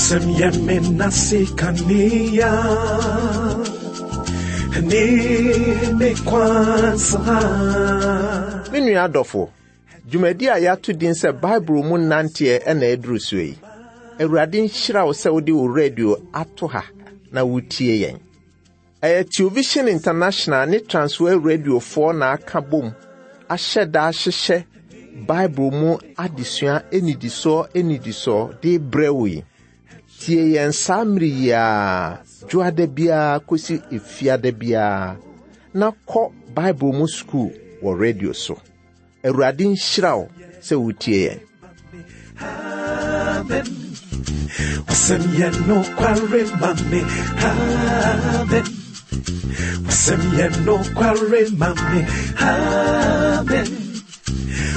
Wasɛm yɛ me nase kanea ne me kwansa. Me nua adɔfo, dwumadi a yɛato din sɛ Bible mu nanteɛ na aduru soɔ yi. Awurade nhyira wo sɛ wode wo radio ato ha na wotie yɛn. Ɛyɛ Television International ne Transworld Radiofoɔ na aka bom ahyɛ da ahyehyɛ Bible mu adesua nnidisoɔ nnidisoɔ de rebrɛ wo yi. Tie yɛn saa mmere yi ara, dwoada biara kɔsi efiada biara, na kɔ Bible mu sukuu wɔ radio so. Awurade nhyira wo sɛ wotie yɛn. Amen. Wasɛm yɛ nokware ma me. Amen. Wasɛm yɛ nokware ma me. Amen.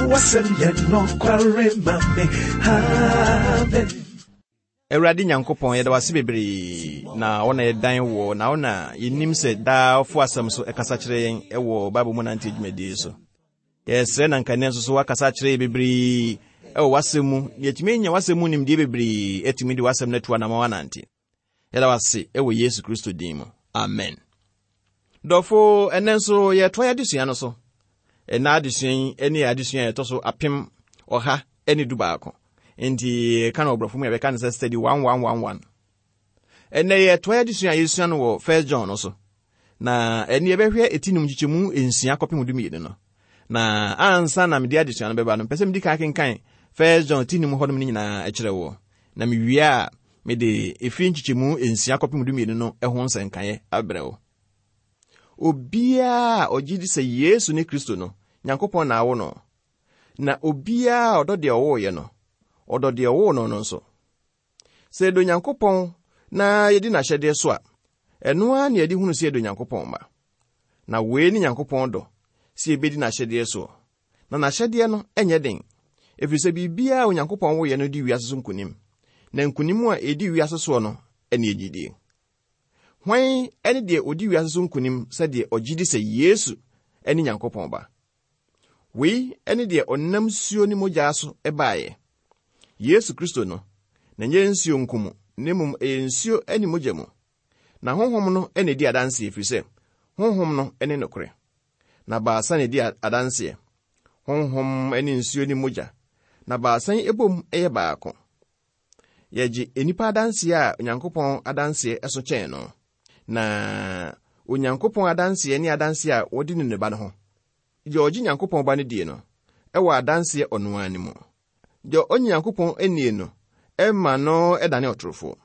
Wasɛm yɛ nokware ma me. Amen. Awurade Nyankopɔn, yɛda wase bebree na wo na yɛdan wɔ na wo na yɛnim sɛ daa wofo asɛm so ɛkasa kyerɛ yɛn ɛwɔ Bible mu nante dwumadie so. Yɛsrɛ na nka nnɛ nso so woakasa akyerɛ yɛ bebree ɛwɔ w'asɛm mu na yɛatumi anya w'asɛm mu nimdeɛ bebree atumi de w'asɛm no atu anamɔn anante. Yɛda wase ɛwɔ Yesu Kristo din mu. Amen. Dɔfo, ɛnnɛ nso yɛtoa yɛ adesua no so. Ɛnnɛ adesua yi ne adesua a ɛtɔ so 1111. Nti yɛka no ɔborɔfo mu yɛbɛka no sɛ study 1111. Ɛnnɛ yɛtoa yɛ adesua a yɛsua no wɔ First John no so. Na ɛne yɛbɛhwɛ eti num nkyekyɛmu nsia kɔpem 12 no. Na ansa na mede adesua no bɛba no, mpɛ sɛ medi kan kenkan First John ti num hɔnom no nyinaa kyerɛ woɔ. Na mewie a, mede ɛfiri nkyekyɛmu nsia kɔpem 12 no ho nsɛnkaeɛ abrɛ wo. Obiara a ɔgye di sɛ Yesu ne Kristo no, Nyankopɔn na awo no. Na obiara a ɔdɔ deɛ ɔwooeɛ no, ɔdɔ deɛ ɔwoo no no nso. Sɛ yɛdɔ Nyankopɔn na yɛdi n'ahyɛdeɛ so a, ɛno ara na yɛde hunu sɛ yɛdɔ Nyankopɔn mma. Na wei ne Nyankopɔn dɔ, sɛ yɛbɛdi n'ahyɛdeɛ soɔ. Na n'ahyɛdeɛ no nyɛ den, ɛfiri sɛ biribiara a Onyankopɔn woeɛ no di wiase so nkonim, na nkonim a ɛdi wiase soɔ no ne gyidie. Hwan ne deɛ ɔdi wiase so nkonim sɛ deɛ ɔgye di sɛ Yesu ne Nyankopɔn Ba? Wei ne deɛ ɔnam nsuo ne mogya so baeɛ, Yesu Kristo no, na ɛnyɛ nsuo nko mu, na mmom ɛyɛ nsuo ne mogya mu. Na Honhom no na ɛdi adanseɛ, ɛfiri sɛ Honhom no ne nokorɛ. Na baasa na ɛdi adanseɛ, Honhom ne nsuo ne mogya, na baasa yi bom yɛ baako. Yɛgye nnipa adanseɛ a Onyankopɔn adanseɛ so kyɛn no. Na Onyankopɔn adanseɛ ne adanseɛ a wɔde ne ne ba no ho. Deɛ ɔgye Nyankopɔn ba no die no, ɛwɔ adanseɛ ɔno ara ne mu. Deɛ ɔnye Nyankopɔn nnie no, ɛma no dane ɔtorofoɔ,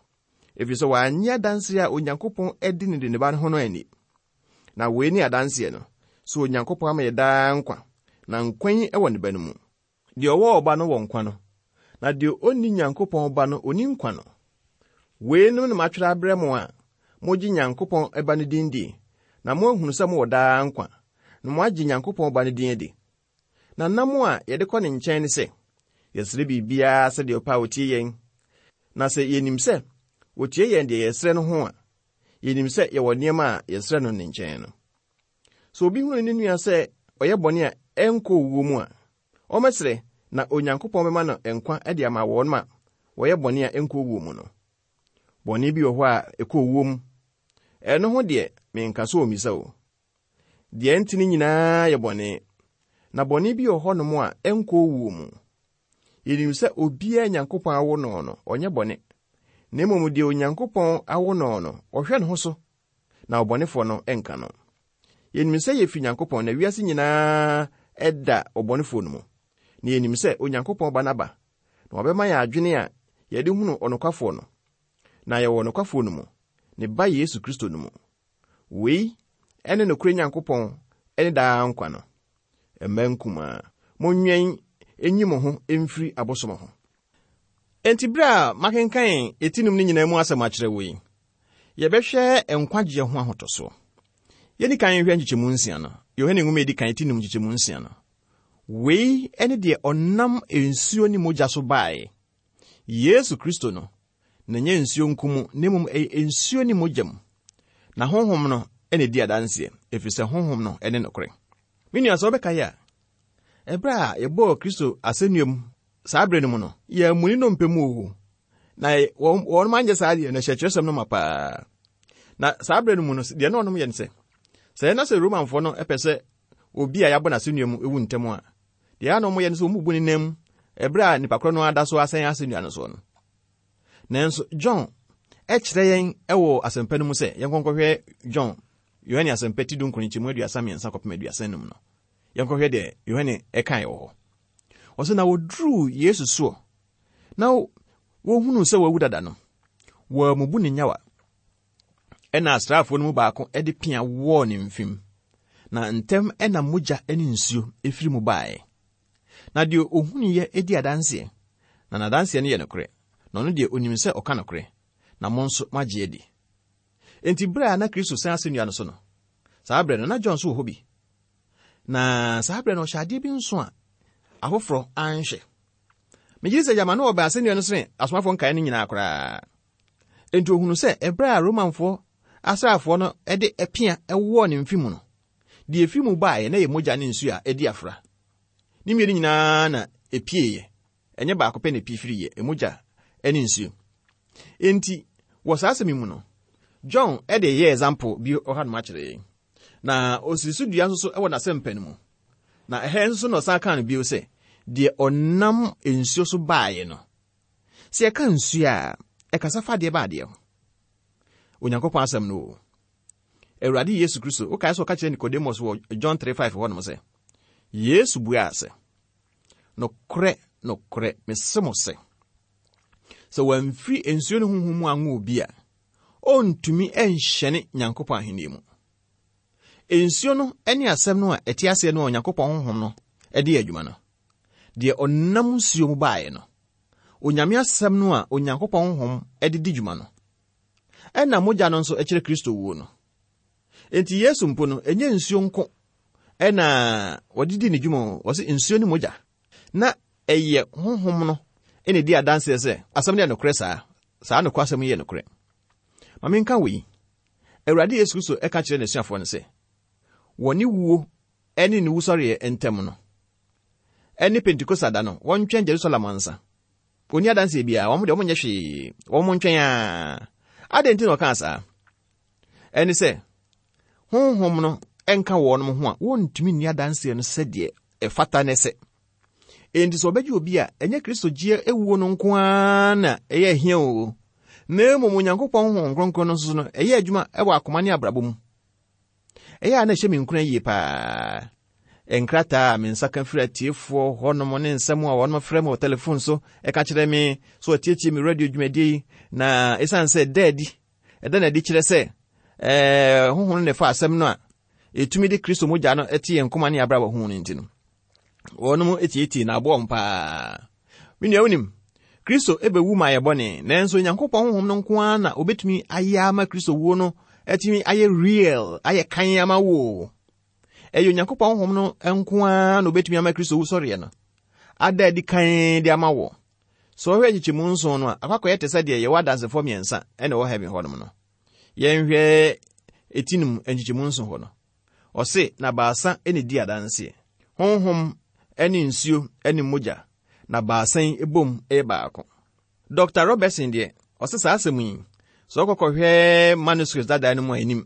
ɛfiri sɛ wannye adanseɛ a Onyankopɔn de ne ne ba no ho no anni. Na wei ne adanseɛ no, sɛ Onyankopɔn ama yɛ daa nkwa, na nkwa yi wɔ ne ba no mu. Deɛ ɔwɔ ɔba no wɔ nkwa no, na deɛ ɔnni Nyankopɔn ba no, ɔnni nkwa no. Weinom na matwerɛ abrɛ mo a mogye Nyankopɔn Ba no din die, na moahunu sɛ mowɔ daa nkwa, na moagye Nyankopɔn Ba no din adi. Na nam a yɛde kɔ ne nkyɛn ne sɛ, yɛsrɛ biribiara sɛdeɛ ɔpɛ a ɔtie yɛn. Na sɛ yɛnim sɛ ɔtie yɛn deɛ yɛsrɛ no ho a, yɛnim sɛ yɛwɔ nneɛma a yɛsrɛ no ne nkyɛn no. Sɛ obi hunu ne nua sɛ ɔyɛ bɔne a ɛnkɔ owuo mu a, ɔmmɛsrɛ na Onyankopɔn bɛma no nkwa de ama wɔn a wɔyɛ bɔne a ɛnkɔ owuo mu no. Bɔne bi wɔ hɔ a ɛkɔ owuo mu. Ɛno ho deɛ, menka sɛ ɔmmisa o. Deɛ ɛntene nyinaa yɛ bɔne, na bɔne bi wɔ hɔnom a ɛnkɔ owuo mu. Yɛnim sɛ obiara a Nyankopɔn awo no no, ɔnyɛ bɔne, na mmom deɛ Onyankopɔn awo no no, ɔhwɛ ne ho so na ɔbɔnefoɔ no nka no. Yɛnim sɛ yɛfiri Nyankopɔn na wiase nyinaa da ɔbɔnefoɔ no mu. Na yɛnim sɛ Onyankopɔn Ba no aba, na wabɛma yɛn adwene a yɛde hunu ɔnokwafoɔ no. Na yɛwɔ ɔnokwafoɔ no mu, ne Ba Yesu Kristo no mu. Wei ne nokorɛ Nyankopɔn ne daa nkwa no. Mma nkumaa, monwɛn nyi mo ho mfiri abosom ho. Enti bere a makenkan eti num no nyinaa mu asɛm akyerɛ wo yi, yɛbɛhwɛ nkwagyeɛ ho ahotɔsoɔ. Yɛnni kan nhwɛ nkyekyɛmu nsia no, Yohane nwoma edi kan eti num nkyekyɛmu nsia no. Wei ne deɛ ɔnam nsuo ne mogya so baeɛ, Yesu Kristo no, na ɛnyɛ nsuo nko mu, na mmom ɛyɛ nsuo ne mogya mu. Na Honhom no na ɛdi adanseɛ, ɛfiri sɛ Honhom no ne nokorɛ. Me nua, sɛ wobɛkae a, ɛberɛ a yɛbɔɔ Kristo asɛnnua mu saa berɛ no mu no, yɛammu ne nnompe mu o, Na wɔn wɔn anyɛ saa deɛ no hyɛ kyerɛsɛm no ma paa. Na saa berɛ no mu no, deɛ na wɔnom yɛ no sɛ, sɛ na sɛ Romanfoɔ no pɛ sɛ obi a yɛabɔ n'asɛnnua mu ewu ntɛm a, deɛ na wɔyɛ no sɛ wɔbubu ne nan mu ɛberɛ a nipa korɔ no ada so asɛn asɛnnua no soɔ no. Nanso John kyerɛ yɛn wɔ asɛmpa no mu sɛ yɛnkɔnkɔhwɛ John Yohane asɛmpa ti dunkron nkyɛmu 33 kɔpem 35 no. Yɛnkɔhwɛ deɛ Yohane ɛkae wɔ hɔ. Ɔsɛ na wɔduruu Yesu soɔ na wɔhunuu sɛ wawu dada no, wɔammubu ne nyawa. Ɛna asraafoɔ no mu baako de pea wɔɔ ne mfem, na ntɛm ɛna mogya ne nsuo firi mu baeɛ. Na deɛ ɔhunuiɛ di adanseɛ, na n'adanseɛ no yɛ nokorɛ, na ɔno deɛ ɔnim sɛ ɔka nokorɛ, na mo nso moagye adi. Enti berɛ a na Kristo sɛn asɛnnua no so no, saa berɛ no na John nso wɔ hɔ bi. Na saa berɛ no ɔhyɛ adeɛ bi nso a afoforɔ anhwɛ. Megye di sɛ gyama na ɔbɛn asɛnnua no sene asomafoɔ nkaeɛ no nyinaa koraa. Enti ɔhunu sɛ ɛberɛ a Romanfoɔ asraafoɔ no de pea wɔɔ ne mfe mu no, deɛ ɛfiri mu baeɛ na ɛyɛ mogya ne nsuo a ɛdi afra. Ne mmienu nyinaa na ɛpieeɛ. Ɛnyɛ baako pɛ na ɛpie firiiɛ, mogya ne nsuo. Enti wɔ saa asɛm yi mu no, John de yɛ example bi ɔhanom akyerɛ yɛn. Na ɔsii so dua nso so wɔ n'asɛmpa no mu. Na ɛha nso so na ɔsan kaa no bio sɛ, deɛ ɔnam nsuo so baeɛ no. Sɛ yɛka nsuo a, ɛkasa fa adeɛ ba adeɛ ho. Onyankopɔn asɛm no o. Awurade Yesu Kristo, wokae sɛ ɔka kyerɛ Nicodemus wɔ John 3:5 hɔnom sɛ, Yesu buaa sɛ, Nokorɛ, nokorɛ, mese mo sɛ, sɛ wɔamfiri nsuo ne honhom mu anwo obi a, ɔntumi nhyɛne Nyankopɔn ahenni mu. Nsuo no ne asɛm no a ɛte aseɛ no a Onyankopɔn honhom no de yɛ adwuma no. Deɛ ɔnam nsuo mu baeɛ no, Onyame asɛm no a Onyankopɔn honhom de di dwuma no, ɛna mogya no nso kyerɛ Kristo wuo no. Enti Yesu mpo no, ɛnyɛ nsuo nko ɛna wɔde di ne dwuma o, wɔse nsuo ne mogya. Na ɛyɛ honhom no na ɛdi adanseɛ sɛ asɛm no yɛ nokorɛ saa. Saa nokwasɛm yi yɛ nokorɛ. Ma menka wei. Awurade Yesu Kristo ka kyerɛ n'asuafoɔ no sɛ, wɔ ne wuo ne ne wusɔreɛ ntam no, ɛne Pentekosta da no, wɔntwɛn Jerusalem ansa. Wɔnni adanseɛ biara, wɔn deɛ wɔnyɛ hwee, wɔn ntwɛn ara. Adɛn nti na ɔkaa saa? Ɛne sɛ, honhom no nka wɔn ho a, wɔntumi nni adanseɛ no sɛdeɛ ɛfata ne sɛ. Enti sɛ ɔbɛgye obi a, ɛnyɛ Kristo gyeɛ ewuo no nko ara na ɛyɛ ahia o, na mmom Onyankopɔn Honhom Kronkron no nso no, ɛyɛ adwuma wɔ akoma ne abrabɔ mu. Ɛyɛ a na ɛhyɛ me nkuran yie paa. Nkrataa a me nsa ka firi atiefoɔ hɔnom ne nsɛm a wɔnom frɛ me wɔ telefon so ɛka kyerɛ me so wɔtietie me radio dwumadie yi, na ɛsiane sɛ ɛda adi, ɛda no adi kyerɛ sɛ ɛɛ honhom no na ɛfa asɛm no a ɛtumi de Kristo mogya no te yɛn koma ne abrabɔ ho no nti no, wɔnom tietie na aboa wɔn paa. Me nua wonim, Kristo bɛwu ma yɛ bɔne, nanso Onyankopɔn honhom no nko ara na obetumi ayɛ ama Kristo wuo no atumi ayɛ real, ayɛ kan ama wo. Ɛyɛ Onyankopɔn honhom no nko ara na obetumi ama Kristo wusɔreɛ no ada adi kan de ama wo. Sɛ wɔhwɛ nkyekyɛmu nson no a, akɔakɔyɛ te sɛ deɛ yɛwɔ adansefoɔ mmiɛnsa na ɛwɔ heaven hɔnom no. Yɛnhwɛ eti no mu nkyekyɛmu nson hɔ no. Ɔse, na baasa na edi adanseɛ, honhom ne nsuo ne mogya, na baasa yi bom yɛ baako. Dɔkta Robertson deɛ, ɔse saa asɛm yi, sɛ wokɔkɔhwɛ manuscripts dada no mu a, ɛnim.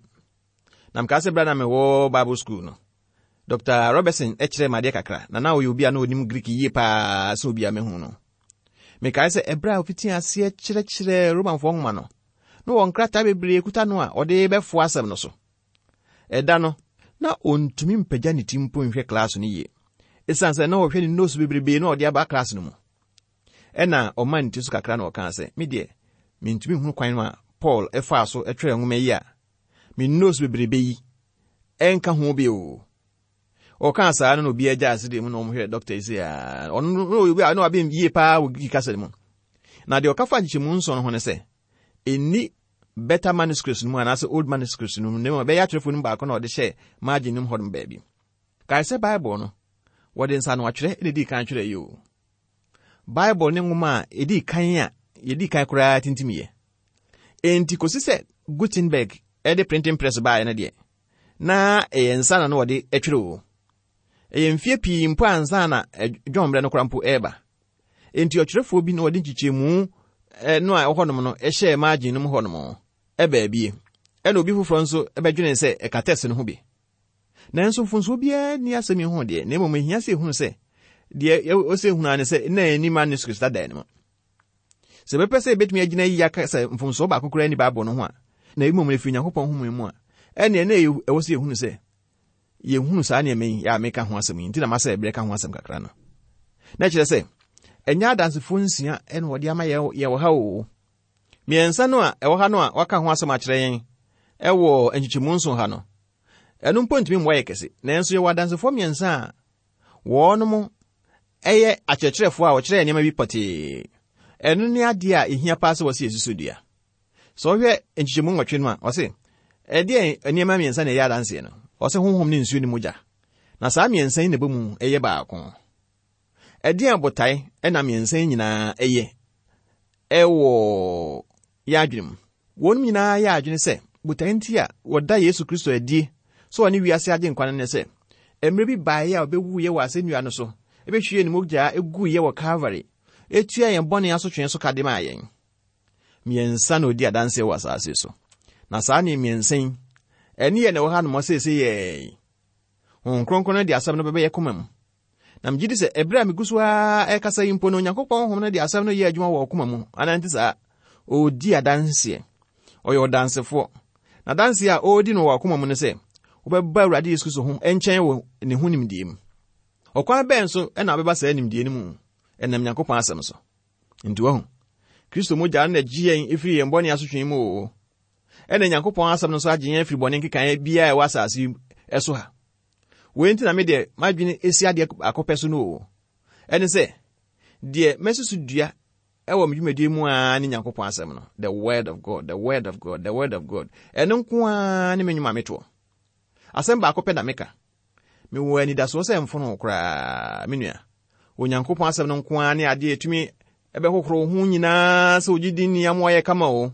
Na mekaa sɛ berɛ a na mewɔ Bible school no, Dɔkta Robertson kyerɛɛ me adeɛ kakra, na na ɔyɛ obi a na ɔnim Greek yie paa sɛ obi a mehu no. Mekae sɛ ɛberɛ a ɔfitii aseɛ kyerɛkyerɛɛ Romanfoɔ nwoma no, na wɔ nkrataa bebree kuta no a ɔde bɛfoa asɛm no so. Ɛda no, na ɔntumi mpagya ne ti mpo nhwɛ klaase no yie, ɛsiane sɛ na ɔhwɛ ne notes bebrebe na ɔde aba klaase no mu. Ɛna ɔmaa ne ti so kakra na ɔkaa sɛ, Me deɛ, mentumi nhunu kwan a Paul faa so twerɛɛ nwoma yi a me notes bebrebe yi ɛnka ho bi o. Ɔkaa saa no na obiara gyaa ase deɛ mu na wɔhwɛ dɔkta yi sɛ ɔno no obi a na waben yie paa wɔ Greek kasa no mu. Na deɛ ɔka fa nkyekyɛmu nson no ho ne sɛ, ɛnni better manuscripts no mu anaasɛ old manuscripts no mu, na mmom ɛbɛyɛ atwerɛfoɔ no mu baako na ɔde hyɛɛ margin no mu hɔnom baabi. Kae sɛ Bible no, wɔde nsaanoatwerɛ na ɛdii kan twerɛeɛ yi o. Bible ne nwoma a ɛdii kan a yɛdii kan koraa tintimiiɛ. Enti kɔsi sɛ Gutenberg de printing press baeɛ no deɛ, na ɛyɛ nsa na na wɔde twerɛ o. Ɛyɛ mfeɛ pii mpo ansa na John mmerɛ no koraa mpo ɛreba. Enti ɔtwerɛfoɔ bi na ɔde nkyekyɛmu no a ɛwɔ hɔnom no hyɛɛ margin no mu hɔnom baabie. Ɛna obi foforɔ nso bɛdwenee sɛ ɛka text no ho bi. Nanso mfomsoɔ biara nni asɛm yi ho deɛ, na mmom ɛhia sɛ yɛhunu sɛ deɛ ɛwɔ sɛ yɛhunu ara ne sɛ na ɛnni manuscript dada no mu. Sɛ yɛbɛpɛ sɛ yɛbɛtumi agyina yiye aka sɛ mfomsoɔ baako koraa nni Bible no ho a, na mmom ɛfiri Onyankopɔn home mu a, ɛnneɛ na ɛwɔ sɛ yɛhunu sɛ yɛhunu saa nneɛma yi a meka ho asɛm yi nti na masɛ berɛ ka ho asɛm kakra no. Na kyerɛ sɛ, ɛnyɛ adansefoɔ nsia na wɔde ama yɛ wɔ ha o. Mmiɛnsa no a ɛwɔ ha no a wɔaka ho asɛm akyerɛ yɛn ɛwɔ nkyekyɛmu nson ha no, ɛno mpo ntumi mmoa yɛ kɛse. Nanso yɛwɔ adansefoɔ mmiɛnsa a wɔnom yɛ akyerɛkyerɛfoɔ a wɔkyerɛ nneɛma bi pɔtee. Ɛno ne adeɛ a ɛhia paa sɛ wɔsi yɛsi so dua. Sɛ wohwɛ nkyekyɛmu nwɔtwe no a, ɔse, ɛdeɛn nneɛma mmiɛnsa na ɛyɛ adanseɛ no? Ɔse honhom ne nsuo ne mogya. Na saa mmiɛnsa yi na ɛbɔ mu yɛ baako. Ɛdeɛn botae na mmiɛnsa yi nyinaa yɛ ɛwɔ yɛn adwene mu? Wɔn nyinaa yɛ adwene sɛ botae nti a wɔda Yesu Kristo adie sɛ ɔne wiase agyenkwa no ne sɛ, mmerɛ bi baeɛ a ɔbɛwuiɛ wɔ asɛnnua no so, ɛbɛhwiee ne mogya guiɛ wɔ Calvary, ɛtua yɛn bɔne asotwee so ka de maa yɛn. Mmiɛnsa na ɔdi adanseɛ wɔ asase so. Na saa ne mmiɛnsa yi, ɛne yɛ na ɛwɔ ha nom seesei yɛɛ. Honhom Kronkron no de asɛm no bɛbɛyɛ koma mu. Na megye di sɛ ɛberɛ a megu so ara ɛrekasa yi mpo no, Onyankopɔn Honhom no de asɛm no yɛ adwuma wɔ ɔkoma mu. Anaa nte saa? Ɔredi adanseɛ. Ɔyɛ ɔdansefoɔ. Na adanseɛ a ɔredi no wɔ akoma mu no sɛ, wobɛba Awurade Yesu Kristo ho nkyɛn wɔ ne ho nimdeɛ mu. Ɔkwan bɛn so na wobɛba saa nimdeɛ no mu? Ɛnam Nyankopɔn asɛm so. Nti wahu, Kristo mogya no na ɛgye yɛn firi yɛn bɔne asotwe mu o. Ɛna Nyankopɔn asɛm no nso agye yɛn afiri bɔne nkekaeɛ biara a ɛwɔ asase yi so ha. Wei nti na me deɛ m'adwene si adeɛ baako pɛ so no o. Ɛne sɛ, deɛ masi so dua ɛwɔ me dwumadie mu ara ne Nyankopɔn asɛm no. The word of God, the word of God, the word of God. Ɛno nko ara ne me nnwuma metoɔ. Asɛm baako pɛ na meka. Mewɔ anidasoɔ sɛ mfono koraa, me nua. Onyankopɔn asɛm no nko ara ne adeɛ ɛtumi ɛbɛhohoro wo ho nyinaa sɛ ogye di nni amoa yɛ kama o.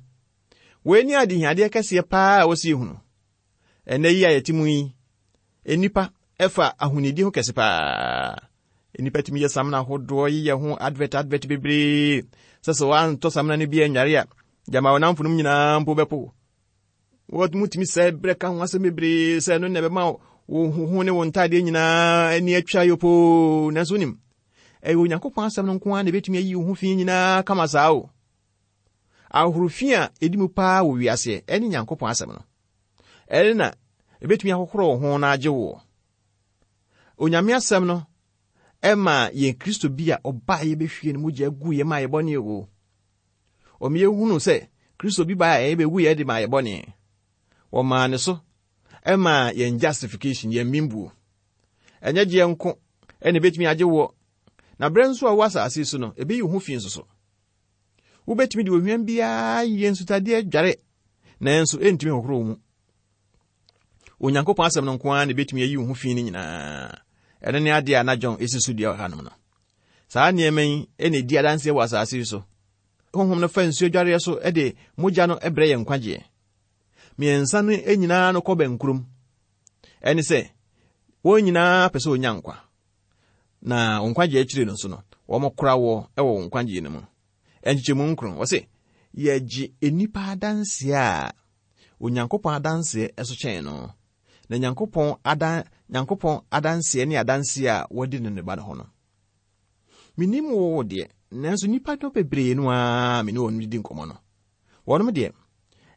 Wei ne adehiadeɛ kɛseɛ paa a wɔsi ehunu. Ɛnnɛ yi a yɛte mu yi, nnipa fa ahonidi ho kɛse paa. Nnipa tumi yɛ samina ahodoɔ, yeyɛ ho advert advert bebree. Sɛ sɛ woantɔ samina no bi anware a, gyama wo namfonom nyinaa mpo bɛpo. Wɔtumi sɛ berɛ ka ho asɛm bebree sɛ ɛno na ɛbɛma wo ho ne wo ntadeɛ nyinaa ani atwa yopoo. Nanso wonim, ɛyɛ Onyankopɔn asɛm no nko ara na ɛbɛtumi ayi wo ho fi nyinaa kama saa o. Ahorow fi a edi mu paa wɔ wiase ne Nyankopɔn asɛm no. Ɛno na ebetumi ahohoro wo ho na agye wo. Onyame asɛm no ɛma yɛn Kristo bi a ɔbaa yɛbɛhwie ne mogya gu yɛ ma yɛ bɔne o. Ɔma yɛhunu sɛ Kristo bi baa yɛ bɛwu yɛ de ma yɛ bɔne. Wɔmaa ne so ɛma yɛn justification, yɛn bembuo. Ɛnyɛ gyeɛ nko ɛna ebetumi agye woɔ. Na berɛ nso a wowɔ asase so no, ebeyi wo ho fi nso so. Wobɛtumi de ohwam biara ayɛ nsutadeɛ adware, nanso ɛntumi hohoro wo mu. Onyankopɔn asɛm no nko ara na ɛbɛtumi ayi wo ho fi no nyinaa. Ɛno ne adeɛ a na John ɛsi so dua wɔ hanom no. Saa nneɛma yi na ɛdi adanseɛ wɔ asase yi so. Honhom no fa nsuo adwareɛ so de mogya no brɛ yɛn nkwagyeɛ. Mmiɛnsa no nyinaa no kɔ bɛnkurom. Ɛne sɛ, wɔn nyinaa pɛ sɛ wɔnya nkwa. Na wo nkwagyeɛ akyiri no nso no, wɔkora woɔ wɔ wo nkwagyeɛ no mu. Nkyekyɛmu nkron, wɔse, yɛgye nnipa adanseɛ a Onyankopɔn adanseɛ so kyɛn no. Na Nyankopɔn adan Nyankopɔn adanseɛ ne adanseɛ a wɔadi no ne Ba no ho no. Menim wo deɛ, nanso nnipa no bebree no ara me ne wɔn didi nkɔmmɔ no. Wɔnom deɛ,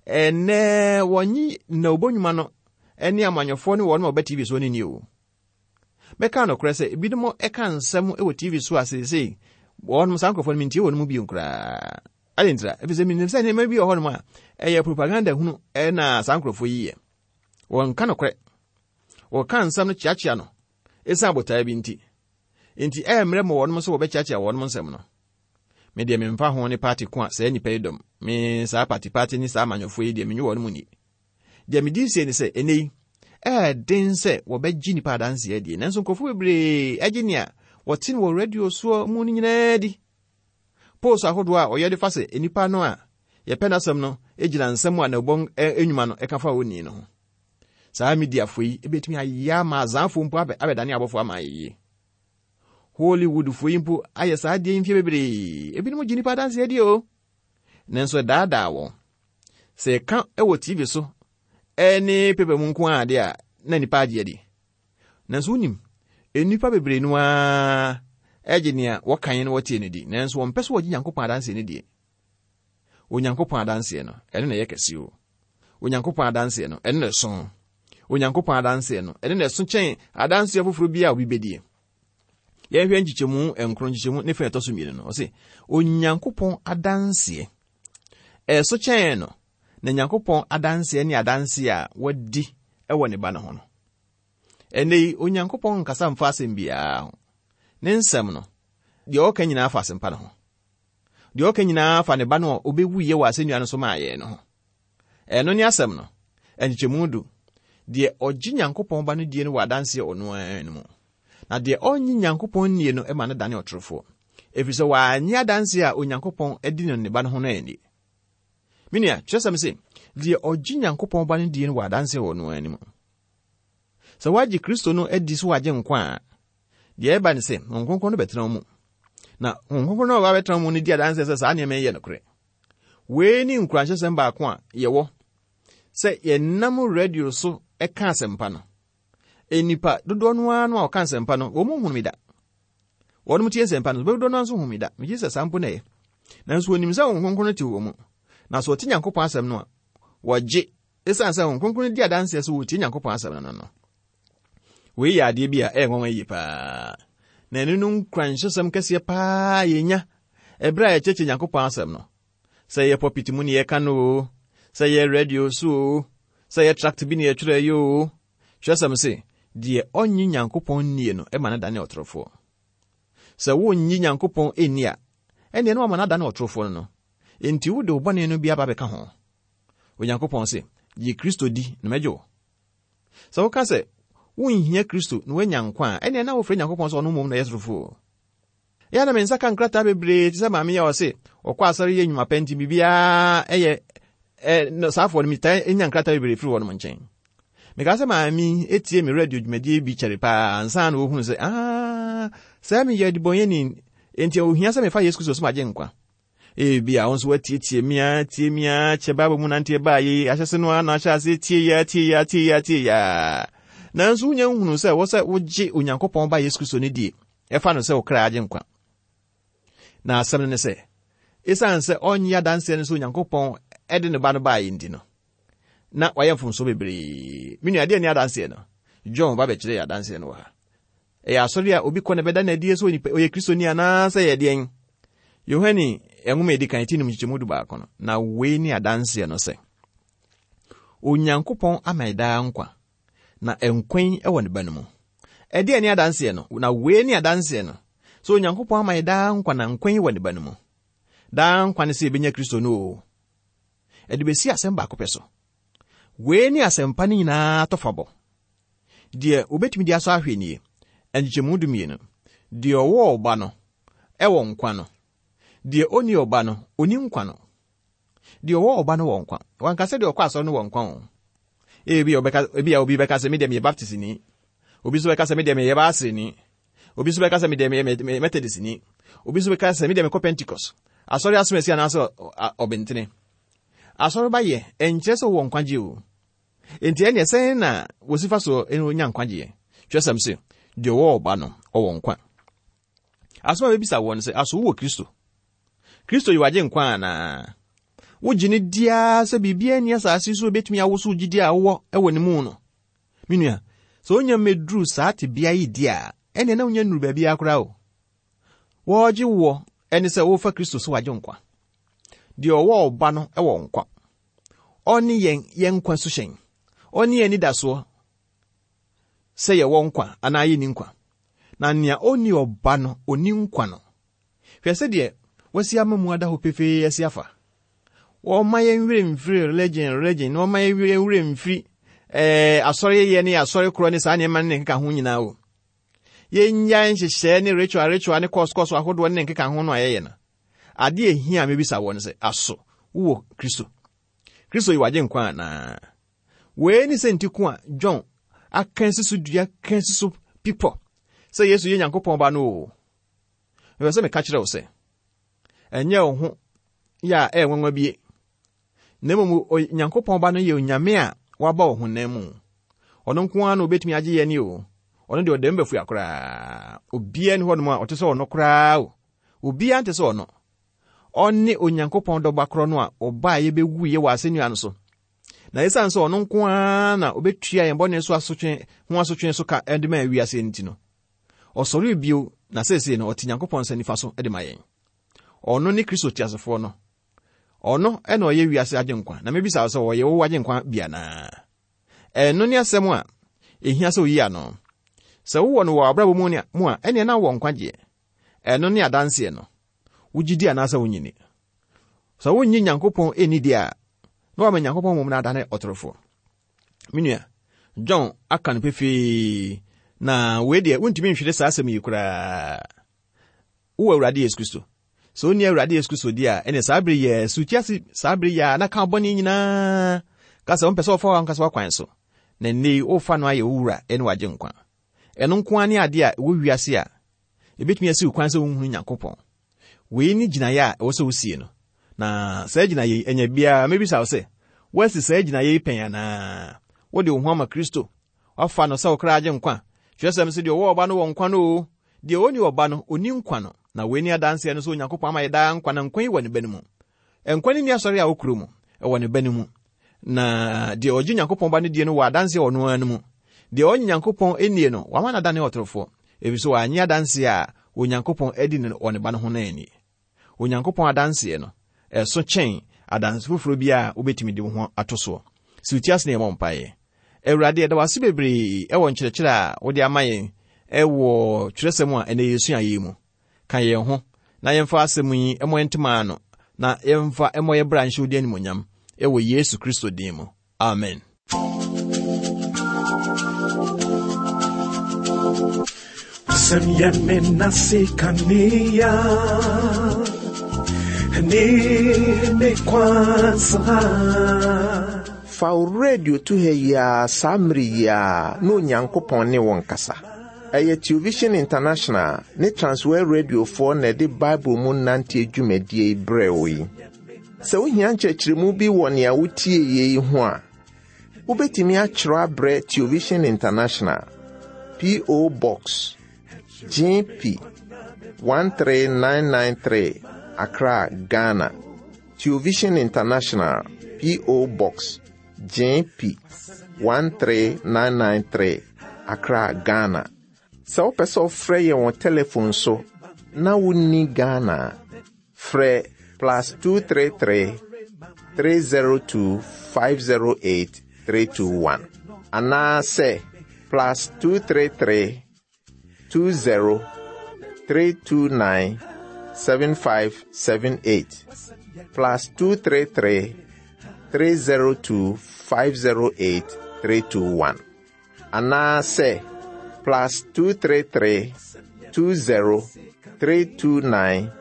ɛnɛ wɔnye nnawubɔ nnwuma no ne amanyɔfoɔ ne wɔnom a wɔba TV soɔ no nni o. Mɛka nokorɛ sɛ ebinom ka nsɛm wɔ TV so a seesei wɔnom saa nkurɔfoɔ no mentie wɔn mu bio koraa. Adɛn ntira? Ɛfiri sɛ menim sɛ nneɛma bi wɔ hɔnom a ɛyɛ propaganda hunu na saa nkurɔfoɔ yi yɛ. Wɔnka nokorɛ. Wɔka nsɛm no kyeakyea no ɛsiane botaeɛ bi nti. Enti ɛyɛ mmerɛ ma wɔnom sɛ wɔbɛkyeakyea wɔnom nsɛm no. Me deɛ memfa ho ne party ko a saa nnipa yi dɔm. Me saa party party ne saa amanyɔfoɔ yi deɛ menye wɔnom nni. Deɛ medi sie ne sɛ, ɛnnɛ yi, ɛyɛ den sɛ wɔbɛgye nnipa adanseɛ adie, nanso nkurɔfoɔ bebree gye nea wɔte no wɔ radio soɔ mu no nyinaa di. Post ahodoɔ a ɔyɛ de fa sɛ nnipa no a yɛpɛ n'asɛm no gyina nsɛm a n'abɔ nnwuma no ka fa onii no ho. Saa mediafoɔ yi bɛtumi ayɛ ama azaafoɔ mpo abɛdane abɔfoɔ ama ayɛ yie. Hollywoodfoɔ yi mpo ayɛ saa adeɛ yi mfeɛ bebree. Ebinom gye nnipa adanseɛ di o. Nanso ɛdaadaa wɔn. Sɛ yɛka wɔ TV so ne pepa mu nko ara deɛ a, na nnipa agye adi. Nanso wonim, nnipa bebree no ara gye nea wɔkan na wɔtie no di, nanso wɔmpɛ sɛ wɔgye Nyankopɔn adanseɛ no die. Onyankopɔn adanseɛ no, ɛno na ɛyɛ kɛse o. Onyankopɔn adanseɛ no, ɛno na ɛso. Onyankopɔn adanseɛ no, ɛno na ɛso kyɛn adanseɛ foforɔ bi a obi bɛdie. Yɛnhwɛ nkyekyɛmu nkron nkyekyɛmu ne fɛ ɛtɔ so mmienu no, ɔse, Onyankopɔn adanseɛ ɛso kyɛn no, na Nyankopɔn adanseɛ ne adanseɛ a wadi wɔ ne ba no ho no. Ɛnnɛ yi, Onyankopɔn nkasa mfa asɛm biara ho. Ne nsɛm no, deɛ ɔka nyinaa fa asɛmpa no ho. Deɛ ɔka nyinaa fa ne ba no a ɔbɛwuiɛ wɔ asɛnnua no so maa yɛn no ho. Ɛno ne asɛm no. Nkyekyɛmu du. Deɛ ɔgye Nyankopɔn ba no die no wɔ adanseɛ ɔno ara no mu. Na deɛ ɔnnye Nyankopɔn nnie no ma no dane ɔtorofoɔ, ɛfiri sɛ wannye adanseɛ a Onyankopɔn adi no ne ba no ho no anni. Me nua, kyerɛsɛm se, deɛ ɔgye Nyankopɔn ba no die no wɔ adanseɛ wɔ ɔno ara no mu. Sɛ woagye Kristo no adi so wagye nkwa a, deɛ ɛba ne sɛ, Honhom Kronkron no bɛtena wo mu. Na Honhom Kronkron no a ɔbɛtena wo mu no di adanseɛ sɛ saa nneɛma yi yɛ nokorɛ. Wei ne nkuranhyɛsɛm baako a yɛwɔ sɛ yɛnam radio so ka asɛmpa no. Nnipa dodoɔ no ara no a wɔka nsɛmpa no, wɔn nhunu me da. Wɔn tie nsɛmpa no, dodoɔ no ara nso hu me da. Megye sɛ saa mpo na ɛyɛ. Nanso wɔnim sɛ Honhom Kronkron no te wɔn mu. Na sɛ wɔte Nyankopɔn asɛm no a, wɔgye. Esiane sɛ Honhom Kronkron no di adanseɛ sɛ wɔtie Nyankopɔn asɛm no no no. Wei yɛ adeɛ bi a ɛyɛ nwanwa yie paa. Na ɛno no nkuranhyɛsɛm kɛseɛ paa yɛnya ɛberɛ a yɛkyerɛkyerɛ Nyankopɔn asɛm no. Sɛ yɛ pulpit mu ne yɛka no o, sɛ yɛ radio so o, sɛ yɛ tract bi ne yɛtwerɛ yɛ o, kyerɛsɛm se, deɛ ɔnnye Nyankopɔn nnie no ma no dane ɔtorofoɔ. Sɛ wonnye Nyankopɔn nni a, ɛnneɛ na wama no adane ɔtorofoɔ no no. Enti wode wo bɔne no bi aba abɛka ho. Onyankopɔn se, Gye Kristo di na mɛgye wo. Sɛ woka sɛ wonhia Kristo na woanya nkwa a, ɛnneɛ na wofrɛ Nyankopɔn sɛ ɔno mmom na ɔyɛ torofoɔ. Ɛyɛ a na me nsa ka nkrataa bebree te sɛ maame yi a ɔse ɔkɔ asɔre yɛ nnwuma pa nti biribiara ɛyɛ ɛ no saafoɔ no metaa nya nkrataa bebree firi wɔnom nkyɛn. Mekaa sɛ maame yi etie me radio dwumadie bi kyɛre paa ansa na ɔhunu sɛ aa sɛ meyɛ adebɔnyɛni nti ohia sɛ mefa Yesu Kristo so magye nkwa. Ebia wo nso woatietie me ara tie me ara kyɛ Bible mu nanteɛ baa yei ahyɛse no ara na ahyɛ aseɛ tie yi ara tie yi ara tie yi ara tie yi ara. Nanso wonya nhunu sɛ wɔ sɛ wogye Onyankopɔn Ba Yesu Kristo no die, ɛfa no sɛ wo kra agye nkwa. Na asɛm no ne sɛ, esiane sɛ ɔnnye adanseɛ no sɛ Onyankopɔn de ne ba no baeɛ nti no, na wayɛ mfomsoɔ bebree. Me nua, adeɛ ne adanseɛ no? John ba bɛkyerɛ yɛ adanseɛ no wɔ ha. Ɛyɛ asɔre a obi kɔ na ɛbɛda no adi sɛ onipa ɔyɛ Kristoni anaasɛ ɛyɛ deɛn? Yohane nwoma a ɛdi kan ti num nkyekyɛmu du baako no, na wei ne adanseɛ no sɛ, Onyankopɔn ama yɛ daa nkwa, na nkwa yi wɔ ne Ba no mu. Ɛdeɛn ne adanseɛ no? Na wei ne adanseɛ no, sɛ Onyankopɔn ama yɛ daa nkwa na nkwa yi wɔ ne Ba no mu. Daa nkwa ne sɛ yɛbɛnya Kristo no o. Ɛde bɛsi asɛm baako pɛ so. Wei ne asɛmpa no nyinaa tɔfabɔ. Deɛ wobɛtumi de asɔ ahwɛ nie, nkyekyɛmu dumienu, Deɛ ɔwɔ Ɔba no wɔ nkwa no, deɛ ɔnni Ɔba no, ɔnni nkwa no. Deɛ ɔwɔ Ɔba no wɔ nkwa. Wanka sɛ deɛ ɔkɔ asɔre no wɔ nkwa o. Ebi ɔbɛka, ebi a obi bɛka sɛ me deɛ meyɛ Baptistni. Obi nso bɛka sɛ me deɛ meyɛ Baaseni. Obi nso bɛka sɛ me deɛ meyɛ Methodistni. Obi nso bɛka sɛ me deɛ mekɔ Pentecost. Asɔre asomasi anaasɛ ɔbɛntene. Asɔre ba yɛ, ɛnkyerɛ sɛ wowɔ nkwagye o. Enti ɛnneɛ sɛn na wɔsi fa so nya nkwagyeɛ? Twerɛsɛm se, deɛ ɔwɔ ɔba no, ɔwɔ nkwa. Asɛm a bɛbisa woɔ no sɛ, aso wowɔ Kristo? Kristo yɛ w'agye nkwa anaa? Wogye no di ara sɛ biribiara nni asase so a ɛbɛtumi awoso gyidie a wowɔ wɔ ne mu no? Me nua, sɛ wonya mmɛduru saa tebea yi di a, ɛnneɛ na wonya nnuru baabiara koraa o. Wɔregye woɔ ɛne sɛ wofa Kristo sɛ w'agye nkwa. Deɛ ɔwɔ ɔba no wɔ nkwa. Ɔne yɛn yɛn nkwa suhyɛn. Ɔne yɛn anidasoɔ sɛ yɛwɔ nkwa anaa yɛnni nkwa. Na nea ɔnni ɔba no, ɔnni nkwa no. Hwɛ sɛdeɛ wasi ama mu ada hɔ pefee asi afa. Wɔmma yɛn werɛ mfiri religion religion na wɔmma yɛn werɛ mfiri ɛɛ eh, asɔreyɛ ne asɔre korɔ ne saa nneɛma ne ne nkeka ho nyinaa o. Yɛnnyae nhyehyɛɛ ne ritual ritual ne kɔɔso kɔɔso ahodoɔ ne ne nkeka ho no a yɛyɛ no. Ade a ehia a mebisa wɔ ne sɛ, aso wowɔ Kristo? Kristo yɛ w'agyenkwa anaa? Wei ne sɛ nti ko a John aka asi so dua ka asi so pipɔ sɛ Yesu yɛ Nyankopɔn ba no o. Mepɛ sɛ meka kyerɛ wo sɛ, ɛnyɛ wo ho yɛ a ɛyɛ nwanwa bie. Na mmom Onyankopɔn Ba no yɛ Onyame a waba wɔ honam mu. Ɔno nko ara na obetumi agye yɛn o. Ɔno deɛ ɔda mu bɛfua koraa. Obiara nni hɔnom a ɔte sɛ ɔno koraa o. Obiara nte sɛ ɔno. Ɔne Onyankopɔn dɔba korɔ no a ɔbaeɛ bɛwuiɛ wɔ asɛnnua no so. Na esiane sɛ ɔno nko ara na obetua yɛn bɔne so asotwe ho asotwe so ka de ma wiase nti no, ɔsɔree bio na seesei no ɔte Nyankopɔn nsa nifa so de ma yɛn. Ɔno ne Kristo teasefoɔ no. Ɔno na ɔyɛ wiase agyenkwa. Na mebisa wo sɛ ɔyɛ wo agyenkwa bi anaa? Ɛno ne asɛm a ehia sɛ oyi ano. Sɛ wowɔ no wɔ abrabɔ mu mu a, ɛneɛ na wowɔ nkwagyeɛ. Ɛno ne adanseɛ no. Wogye di anaasɛ wonnye nni? Sɛ wonnye Nyankopɔn nni deɛ a, na wama Nyankopɔn mmom no adane ɔtorofoɔ. Me nua, John aka no pefee, na wei deɛ wontumi nhwere saa asɛm yi koraa. Wowɔ Awurade Yesu Kristo. Sɛ wonni Awurade Yesu Kristo di a, ɛne saa bere yɛ suti ase saa bere yɛ a na ka bɔne nyinaa. Ka sɛ wompɛ sɛ wɔfa w'ankasa w'akwan so, na nnɛ yi worefa no ayɛ wo wura ne w'agyenkwa. Ɛno nko ara ne ade a ɛwɔ wiase a ebetumi asiw kwan sɛ wonhunu Nyankopɔn. Wei ne gyinae a ɛwɔ sɛ wusie no. Na saa gyinae yi, anya biara, mebisa wo sɛ, woasi saa gyinae yi pɛn anaa? Wode wo ho ama Kristo? Woafa no sɛ wo kra agyenkwa? Kyerɛwsɛm se deɛ ɔwɔ ɔba no wɔ nkwa no o, deɛ ɔnni ɔba no, ɔnni nkwa no. Na wei ne adanseɛ no sɛ Onyankopɔn ama yɛ daa nkwa, na nkwa yi wɔ ne Ba no mu. Nkwa no nni asɔre a wokuro mu, ɛwɔ ne Ba no mu. Na deɛ ɔgye Nyankopɔn Ba no die no wɔ adanseɛ wɔ ɔno ara no mu. Deɛ ɔnnye Nyankopɔn nnie no, wama no adane ɔtorofoɔ, ɛfiri sɛ wannye adanseɛ a Onyankopɔn adi no wɔ ne Ba no ho no anni. Onyankopɔn adanseɛ no, ɛso kyɛn adanse foforɔ biara a wobɛtumi de wo ho ato soɔ. Si wo ti ase na yɛmmɔ mpaeɛ. Awurade, yɛda wo ase bebree wɔ nkyerɛkyerɛ a wode ama yɛn wɔ twerɛsɛm a ɛnnɛ yɛsua yi mu. Ka yɛn ho na yɛmfa asɛm yi mmɔ yɛn ntoma ano na yɛmfa mmɔ yɛn bra nhyɛ wo din animuonyam wɔ Yesu Kristo din mu. Amen. Wasɛm yɛ me nase kanea ne me kwan saa. Fa wo radio to ha yi ara saa mmere yi ara na Onyankopɔn ne wo nkasa. Ɛyɛ Television International ne Transworld Radiofoɔ na ɛde Bible mu nanteɛ dwumadie yi brɛɛ wo yi. Sɛ wohia nkyerɛkyerɛmu bi wɔ nea wotieeɛ yi ho a, wobɛtumi atwerɛ abrɛ Television International, P.O. Box, GP 13993, Accra, Ghana. Television International, P.O. Box, JP 13993, Accra, Ghana. Sɛ wopɛ sɛ wofrɛ yɛn wɔ telefon so na wonni Ghana a, frɛ plus 233 302 508 321 anaasɛ plus 233 20 329 7578 plus 233 302 508 321 anaasɛ plus 233 20 329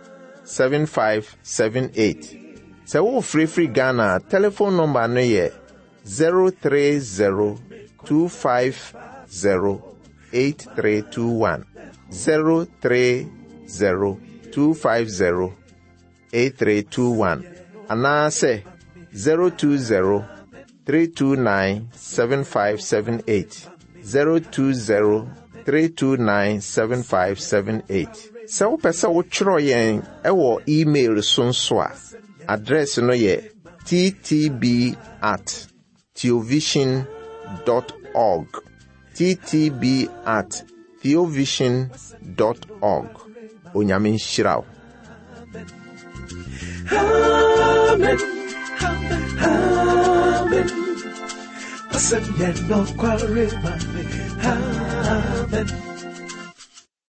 7578. Sɛ worefrɛfiri Ghana a, telefon nɔmba no yɛ 030 250 8321. 030 250 8321 anaasɛ 020 329 7578. 020 329 7578. Sɛ wopɛ sɛ wotwerɛ yɛn wɔ email so nso a, address no yɛ ttb at theovision dot org. Ttb at theovision dot org. Onyame nhyira wo. Amen. Amen. Amen.